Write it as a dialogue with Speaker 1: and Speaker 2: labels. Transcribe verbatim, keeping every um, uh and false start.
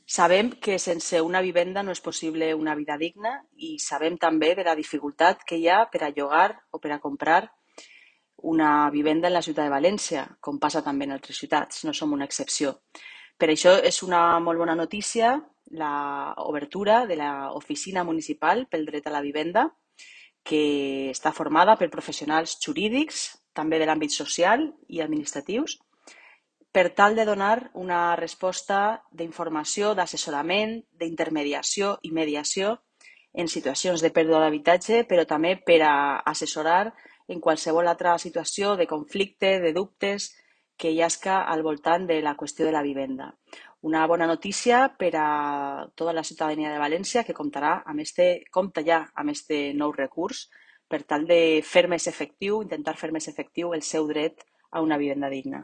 Speaker 1: Sabem que sense una vivenda no és possible una vida digna i sabem també de la dificultat que hi ha per a llogar o per a comprar una vivenda en la ciutat de València, com passa també en altres ciutats, no som una excepció. Per això és una molt bona notícia l'obertura de l'Oficina Municipal pel Dret a la Vivenda, que està formada per professionals jurídics, també de l'àmbit social i administratius, per tal de donar una resposta d'informació, d'assessorament, d'intermediació i mediació en situacions de pèrdua d'habitatge, però també per a assessorar en qualsevol altra situació de conflicte, de dubtes que hi hagi al voltant de la qüestió de la vivenda. Una bona notícia per a tota la ciutadania de València que comptarà amb este, compta ja amb este nou recurs per tal de fer més efectiu, intentar fer més efectiu el seu dret a una vivenda digna.